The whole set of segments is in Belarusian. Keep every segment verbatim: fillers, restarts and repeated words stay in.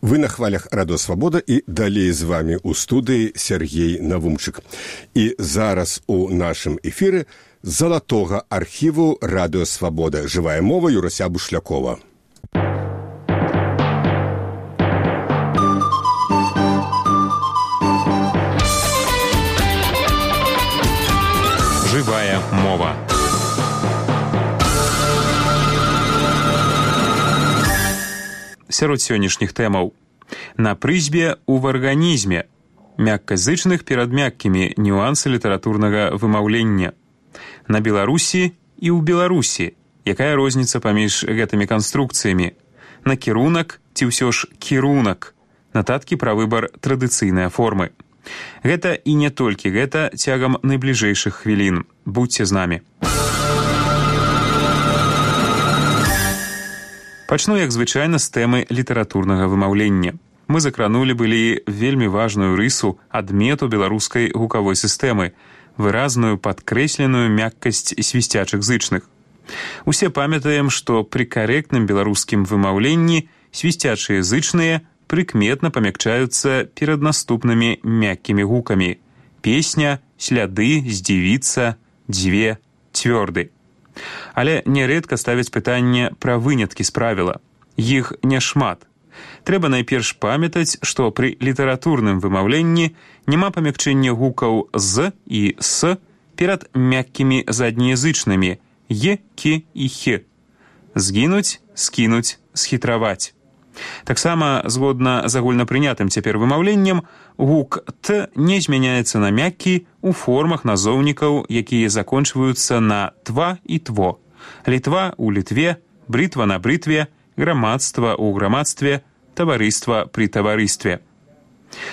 Вы на хвалях Радио Свобода і далей з вами у студыі Сергей Навумчык. І зараз у нашым эфіры з залатога архіву Радио Свобода. Жывая мова Юрася Бушлякова. Жывая мова. Сярод сённяшніх тэмаў. На прызбе ў арганізме. Мякказычных перад мяккімі нюансы літаратурнага вымаўлення. На Беларусі і ў Беларусі. Якая розніца паміж гэтымі канструкцыямі? Накірунак ці ўсё ж кірунак? Нататкі пра выбар традыцыйнай формы. Гэта і не толькі гэта цягам найбліжэйшых хвілін. Будзьце з намі. Пачну, як звычайна, з тэмы літаратурнага вымаўлення. Мы закранулі былі вельмі важную рысу адмету беларускай гукавой сістэмы, выразную падкрэсленую мяккасць свісцячых зычных. Усе памятаем, што пры карэктным беларускім вымаўленні свісцячыя зычныя прыкметна памякчаюцца перад наступнымі мяккімі гукамі: песня, сляды, здзівіцца, дзве, цвёрды. Але нярэдка ставяць пытанне пра выняткі з правіла. Іх няшмат. Трэба найперш памятаць, што пры літаратурным вымаўленні няма памякчэння гукаў «з» і «с» перад мяккімі заднеязычнымі «е», «ке» і «хе». Згінуць, скінуць, схітраваць. Таксама, згодна з агульнапрынятым цяпер вымаўленнем, гук «т» не змяняецца на мяккі ў формах назоўнікаў, якія закончваюцца на «тва» і «тво». Літва ў літве, брытва на брытве, грамадства ў грамадстве, таварыства пры таварыстве.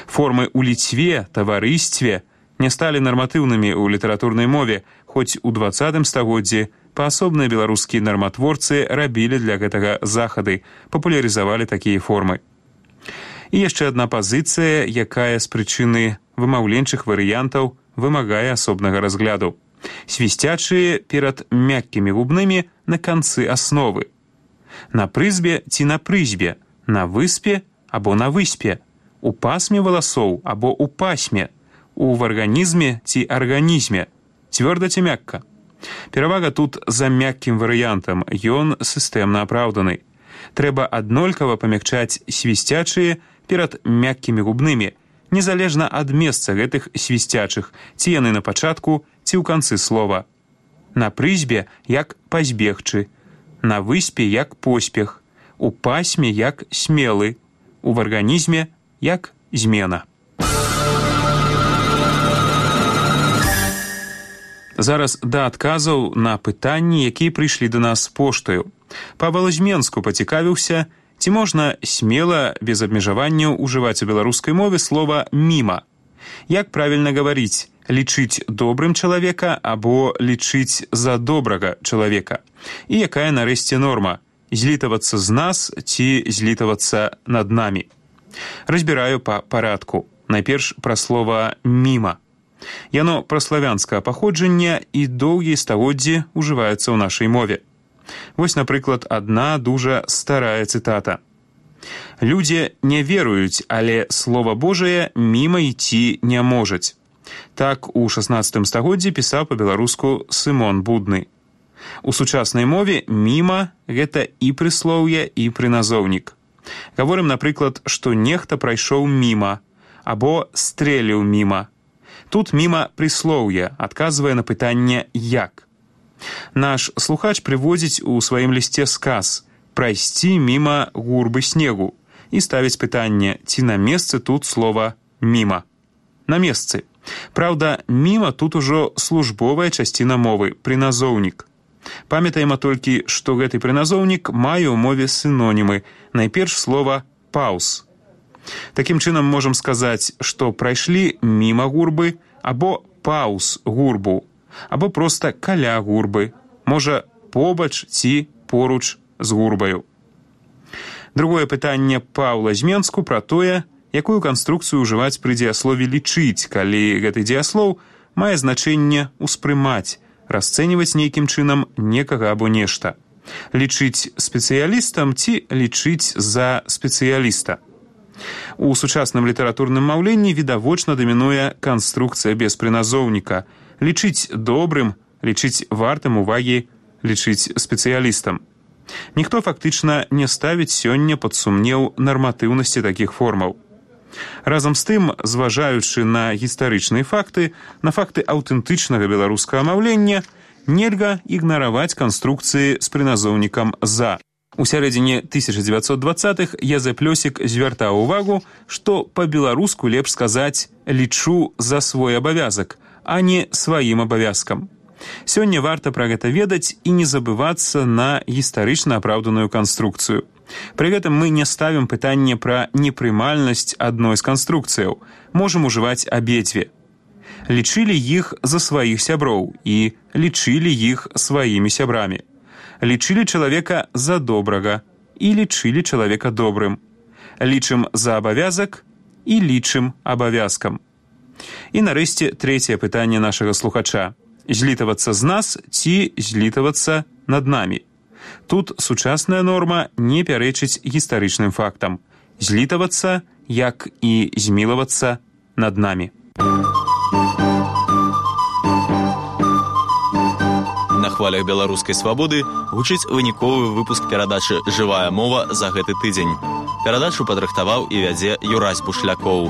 Формы ў ліцве, таварыстве не сталі нарматыўнымі ў літаратурнай мове, хоць у дваццатым стагоддзі паасобныя беларускія нарматворцы рабілі для гэтага захады, папулярызавалі такія формы. І яшчэ адна пазіцыя, якая з прычыны вымаўленчых варыянтаў вымагае асобнага разгляду. Свісцячыя перад мяккімі губнымі на канцы асновы. На прызбе ці на прызбе, на выспе або на выспе, у пасме валасоў або у пасме, у арганізме ці арганізме, цвёрда ці мякка. Перавага тут за мяккім варыянтам, ён сістэмна апраўданы. Трэба аднолькава памякчаць свісцячыя перад мяккімі губнымі, незалежна ад месца гэтых свісцячых, ці яны на пачатку, ці ў канцы слова. На прызбе як пазбегчы, на выспе як поспех, у пасме як смелы, у арганізме як змена. Зараз да адказаў на пытанні, якія прыйшлі да нас поштаю. Па Валазьменску пацікавіўся, ці можна смела, без абмежаванняў ужываць у беларускай мове слова «міма». Як правільна гаварыць, лічыць добрым чалавека або лічыць за добрага чалавека? І якая нарэшце норма? Злітавацца з нас ці злітавацца над намі? Разбіраю па парадку. Найперш пра слова «міма». Яно праславянскага паходжання і доўгія стагоддзі ўжываецца ў нашай мове. Вось, напрыклад, адна дужа старая цытата. «Людзі не веруюць, але Слова Божае міма ісці не можаць». Так у шаснаццатым стагоддзі пісаў па-беларуску Сымон Будны. У сучаснай мове «міма» — гэта і прыслоўе, і прыназоўнік. Гаворым, напрыклад, што нехта прайшоў міма або стрэліў міма. Тут міма прыслоўе, адказвае на пытанне «як». Наш слухач прыводзіць у сваім лісце сказ «прайсці міма гурбы снегу» і ставіць пытанне, ці на месцы тут слова «міма». На месцы. Праўда, міма тут ужо службовая часціна мовы, прыназоўнік. Памятаем толькі, што гэты прыназоўнік мае ў мове сінонімы, найперш слова «паўз». Такім чынам можам сказаць, што прайшлі міма гурбы або паўз гурбу, або проста каля гурбы, можа побач ці поруч з гурбаю. Другое пытанне па Валазьменску пра тое, якую канструкцыю ўжываць пры дзеяслове «лічыць», калі гэты дзеяслоў мае значэнне «успрымаць», расцэньваць нейкім чынам некага або нешта. Лічыць спецыялістам ці лічыць за спецыяліста. У сучасным літаратурным маўленні відавочна дамінуе канструкцыя без прыназоўніка. Лічыць добрым, лічыць вартым увагі, лічыць спецыялістам. Ніхто фактычна не ставіць сёння пад сумнеў нарматыўнасці такіх формаў. Разам з тым, зважаючы на гістарычныя факты, на факты аўтэнтычнага беларускага маўлення, нельга ігнараваць канструкцыі з прыназоўнікам «за». У сярэдзіне тысяча дзевяцьсот дваццатых Язэп Лёсік звяртаў увагу, што па-беларуску лепш сказаць «лічу за свой абавязак», а не сваім абавязкам. Сёння варта пра гэта ведаць і не забывацца на гістарычна апраўданую канструкцыю. Пры гэтым мы не ставім пытанне пра непрымальнасць адной з канструкцыяў. Можам ужываць абедзве. Лічылі іх за сваіх сяброў і лічылі іх сваімі сябрамі. Лічылі чалавека за добрага і лічылі чалавека добрым. Лічым за абавязак і лічым абавязкам. І нарэшце трэцяе пытанне нашага слухача. Злітавацца з нас ці злітавацца над намі? Тут сучасная норма не пярэчыць гістарычным фактам. Злітавацца, як і змілавацца над намі. На хвалях беларускай свабоды гучыць выніковы выпуск перадачы «Жывая мова» за гэты тыдзень. Перадачу падрыхтаваў і вядзе Юрась Бушлякоў.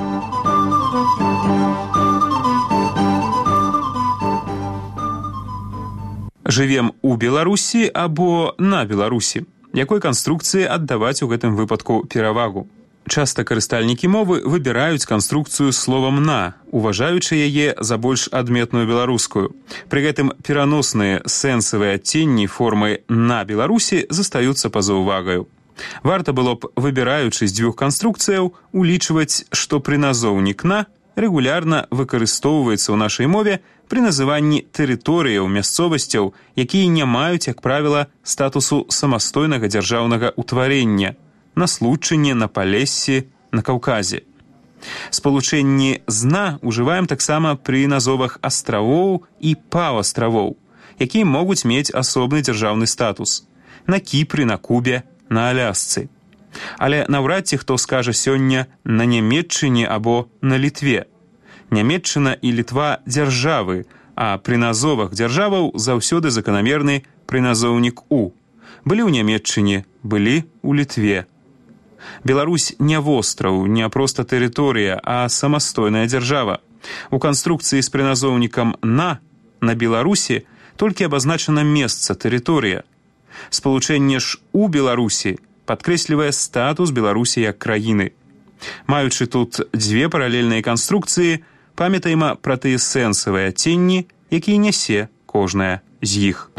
Жывем у Беларусі або на Беларусі. Якой канструкцыі аддаваць у гэтым выпадку перавагу? Часта карыстальнікі мовы выбіраюць канструкцыю словам «на», уважаючы яе за больш адметную беларускую. Пры гэтым пераносныя сэнсавыя адценні формы «на Беларусі» застаюцца па-за увагаю. Варта было б, выбіраючы з дзвюх канструкцыяў, улічваць, што прыназоўнік «на» рэгулярна выкарыстоўваецца ў нашай мове пры называнні тэрыторыяў, мясцовасцяў, якія не маюць, як правіла, статусу самастойнага дзяржаўнага ўтварення, на Случыне, на Палессі, на Каўказе. Спалучэнні «зна» ужываем таксама пры назовах астравоў і паўастравоў, якія могуць мець асобны дзяржаўны статус на Кіпры, на Кубе, на Алясцы. Але наўрад ці хто скажа сёння на Нямецчыне або на Літве. Нямецчына і Літва – дзяржавы, а пры назовах дзяржаваў заўсёды заканамерны прыназоўнік «у». Былі ў Нямецчыне, былі ў Літве. Беларусь не востраў, не проста тэрыторыя, а самастойная дзяржава. У канструкцыі з прыназоўнікам «на» на Беларусі толькі абазначана месца, тэрыторыя. Спалучэнне ж «у Беларусі» падкрэслівае статус Беларусі як краіны. Маючы тут дзве паралельныя канструкцыі, памятаем пра тыя сэнсавыя адценні, якія нясе кожная з іх.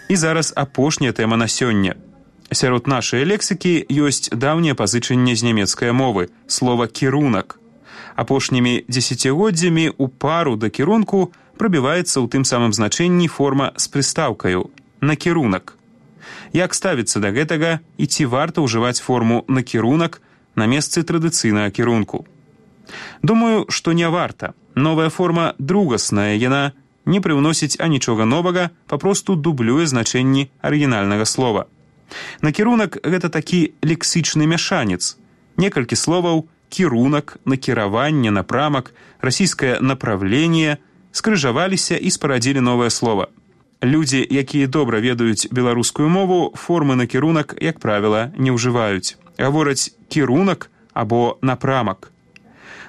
І зараз апошняя тэма на сёння. Сярод нашай лексікі ёсць даўнее пазычанне з нямецкай мовы, слова «кірунак». Апошнімі дзесяцігоддзямі ў пару да кірунку прабіваецца ў тым самым значэнні форма з прыстаўкаю «накірунак». Як ставіцца да гэтага і ці варта ўжываць форму «накірунак» на месцы традыцыйнага кірунку? Думаю, што не варта. Новая форма другасная, яна не прыўносіць анічога новага, папросту дублюе значэнні арыгінальнага слова. Накірунак – гэта такі лексічны мяшанец. Некалькі словаў – кірунак, накіраванне, напрамак, расійскае направленне – скрыжаваліся і спарадзілі новае слова. Людзі, якія добра ведаюць беларускую мову, формы накірунак, як правіла, не ўжываюць. Гавораць «кірунак» або «напрамак».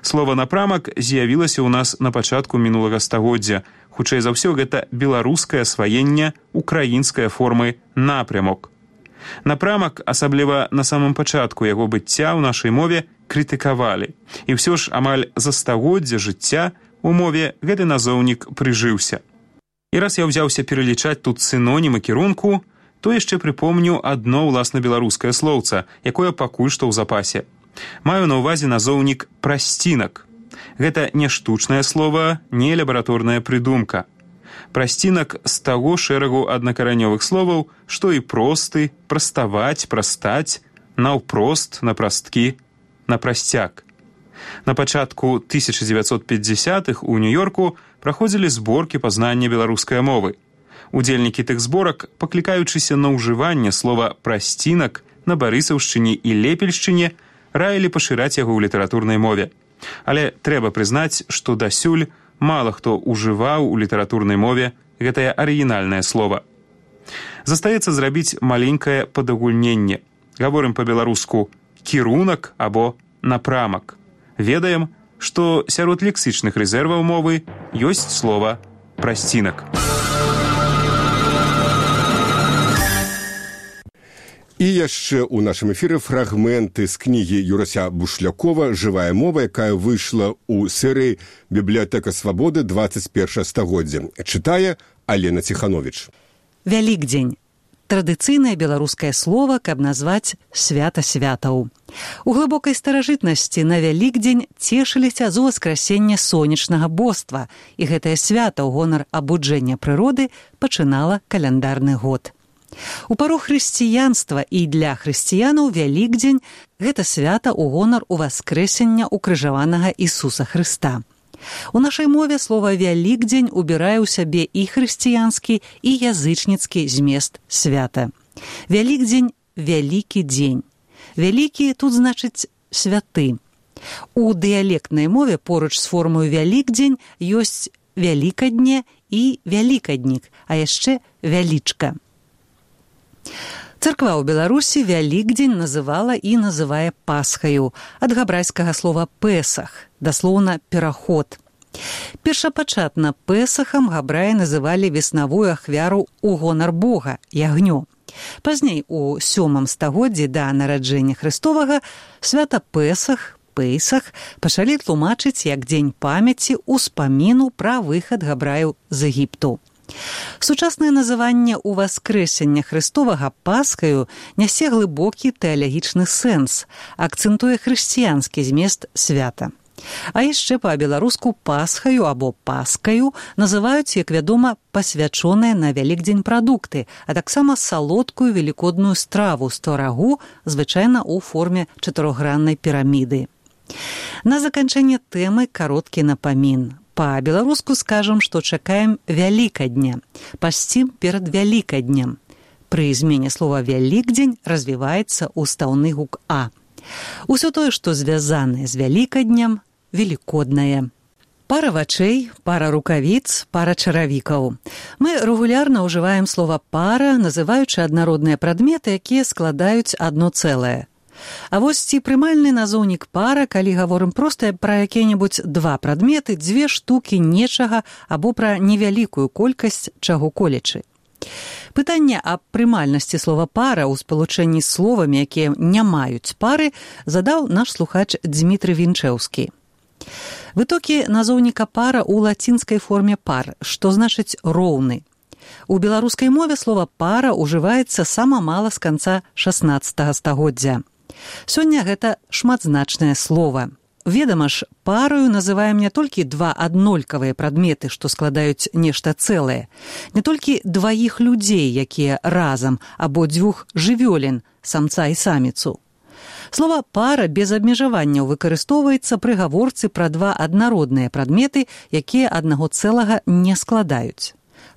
Слова «напрамак» з'явілася ў нас на пачатку мінулага стагоддзя. Хутчэй за ўсё, гэта беларускае асваенне украінскай формы «напрямок». Напрамак, асабліва на самым пачатку яго быцця ў нашай мове, крытыкавалі. І ўсё ж амаль за стагоддзе жыцця у мове гэты назоўнік прыжыўся. І раз я ўзяўся пералічаць тут сінонімы кірунку, то яшчэ прыпомню адно ўласна беларускае слоўца, якое пакуль што ў запасе. Маю на ўвазе назоўнік «прасцінак». Гэта не штучнае слова, не лабараторная прыдумка. Прасцінак з таго шэрагу аднакаранёвых словаў, што і просты, праставаць, прастаць, наўпрост, напрасткі, напрасцяк. На пачатку тысяча дзевяцьсот пятьдесятых у Нью-Йорку праходзілі зборкі пазнання беларускай мовы. Удзельнікі тых зборак, паклікаючыся на ўжыванне слова «прасцінак», на Барысаўшчыне і Лепельшчыне раілі пашыраць яго ў літаратурнай мове. Але трэба прызнаць, што дасюль мала хто ўжываў у літаратурнай мове гэтае арыгінальнае слова. Застаецца зрабіць маленькае падагульненне. Гаворым па-беларуску «кірунак» або «напрамак». Ведаем, што сярод лексічных рэзерваў мовы ёсць слова «прасцінак». І яшчэ ў нашым эфіры фрагменты з кнігі Юрася Бушлякова «Жывая мова», якая выйшла ў серыі «Бібліятэка свабоды двадцать першае стагоддзе». Чытае Алена Ціхановіч. Вялікдзень. Традыцыйнае беларускае слова, каб назваць свята святаў. У глыбокай старажытнасці на Вялікдзень цешыліся з уваскрасення сонечнага боства, і гэтае свята ў гонар абуджэння прыроды пачынала каляндарны год. У пару хрысціянства і для хрысціянаў Вялікдзень гэта свята ў гонар уваскрэсення укрыжаванага Ісуса Хрыста. У нашай мове слова «Вялікдзень» убірае ў сябе і хрысціянскі, і язычніцкі змест свята. Вялікдзень – вялікі дзень. Вялікі тут значыць святы. У дыялектнай мове поруч з формою «Вялікдзень» ёсць «вялікадне» і «вялікаднік», а яшчэ «вялічка». Царква ў Беларусі Вялікдзень называла і называе Пасхаю, ад габрайскага слова «песах», даслоўна «пераход». Першапачатна Песахам габраі называлі веснавую ахвяру ў гонар Бога, ягнё. Пазней, у сёмым стагоддзі да нараджэння Хрыстовага, свята Песах, Пейсах пачалі тлумачыць як дзень памяці ўспаміну пра выхад габраяў з Егіпту. Сучаснае называнне ўваскрэсення Хрыстовага Пасхаю нясе глыбокі тэалагічны сэнс, акцэнтуе хрысціянскі змест свята. А яшчэ па-беларуску Пасхаю або Паскаю называюць, як вядома, пасвячоныя на Вялікдзень прадукты, а таксама салодкую велікодную страву з творагу, звычайна ў форме чатырохграннай піраміды. На заканчэнне тэмы кароткі напамін. Па-беларуску скажам, што чакаем Вялікадня, пасцім перад Вялікаднем. Пры змене слова «Вялікдзень» развіваецца устаўны гук «а». Усё тое, што звязанае з Вялікаднем, велікоднае. Пара вачэй, пара рукавіц, пара чаравікаў. Мы рэгулярна ўжываем слова «пара», называючы аднародныя прадметы, якія складаюць адно цэлае. А вось ці прымальны назоўнік пара, калі гаворым проста пра якія-небудзь два прадметы, дзве штукі нечага або пра невялікую колькасць чаго-колечы. Пытанне аб прымальнасці слова «пара» ў спалучэнні з словамі, якія не маюць пары, задаў наш слухач Дзмітрый Вінчэўскі. Вытокі назоўніка «пара» ў лацінскай форме «пар», што значыць «роўны». У беларускай мове слова «пара» ўжываецца сама мала з канца шаснаццатага стагоддзя. Сёння гэта шматзначнае слова. Ведама ж, параю называем не толькі два аднолькавыя прадметы, што складаюць нешта цэлае, не толькі дваіх людзей, якія разам, або дзвюх жывёлін, самца і саміцу. Слова «пара» без абмежаванняў выкарыстоўваецца пры гаворцы пра два аднародныя прадметы, якія аднаго цэлага не складаюць.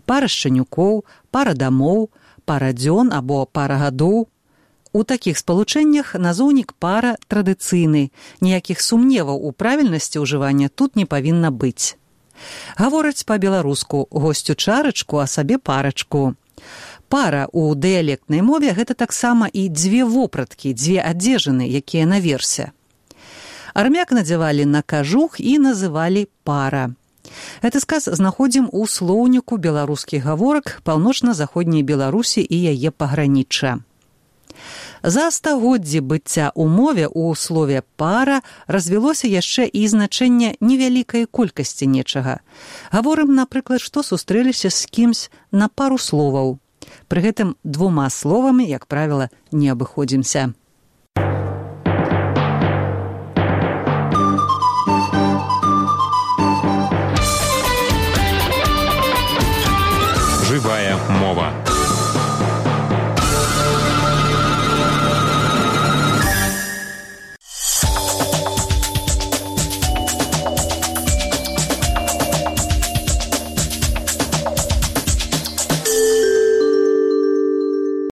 Пара шчанюкоў, пара дамоў, пара дзён або пара гадоў. У такіх спалучэннях назоўнік «пара» традыцыйны, ніякіх сумневаў у правільнасці ўжывання тут не павінна быць. Гавораць па-беларуску «госцю чарачку, а сабе парачку». Пара ў дыялектнай мове – гэта таксама і дзве вопраткі, дзве адзежыны, якія наверсе. Армяк надзявалі на кажух і называлі «пара». Гэты сказ знаходзім у слоўніку беларускіх гаворак паўночна-заходняй Беларусі і яе пагранічча. За стагоддзі быцця ў мове ў слове «пара» развілося яшчэ і значэнне невялікай колькасці нечага. Гаворым, напрыклад, што сустрэліся з кімсь на пару словаў. Пры гэтым двума словамі, як правіла, не абыходзімся.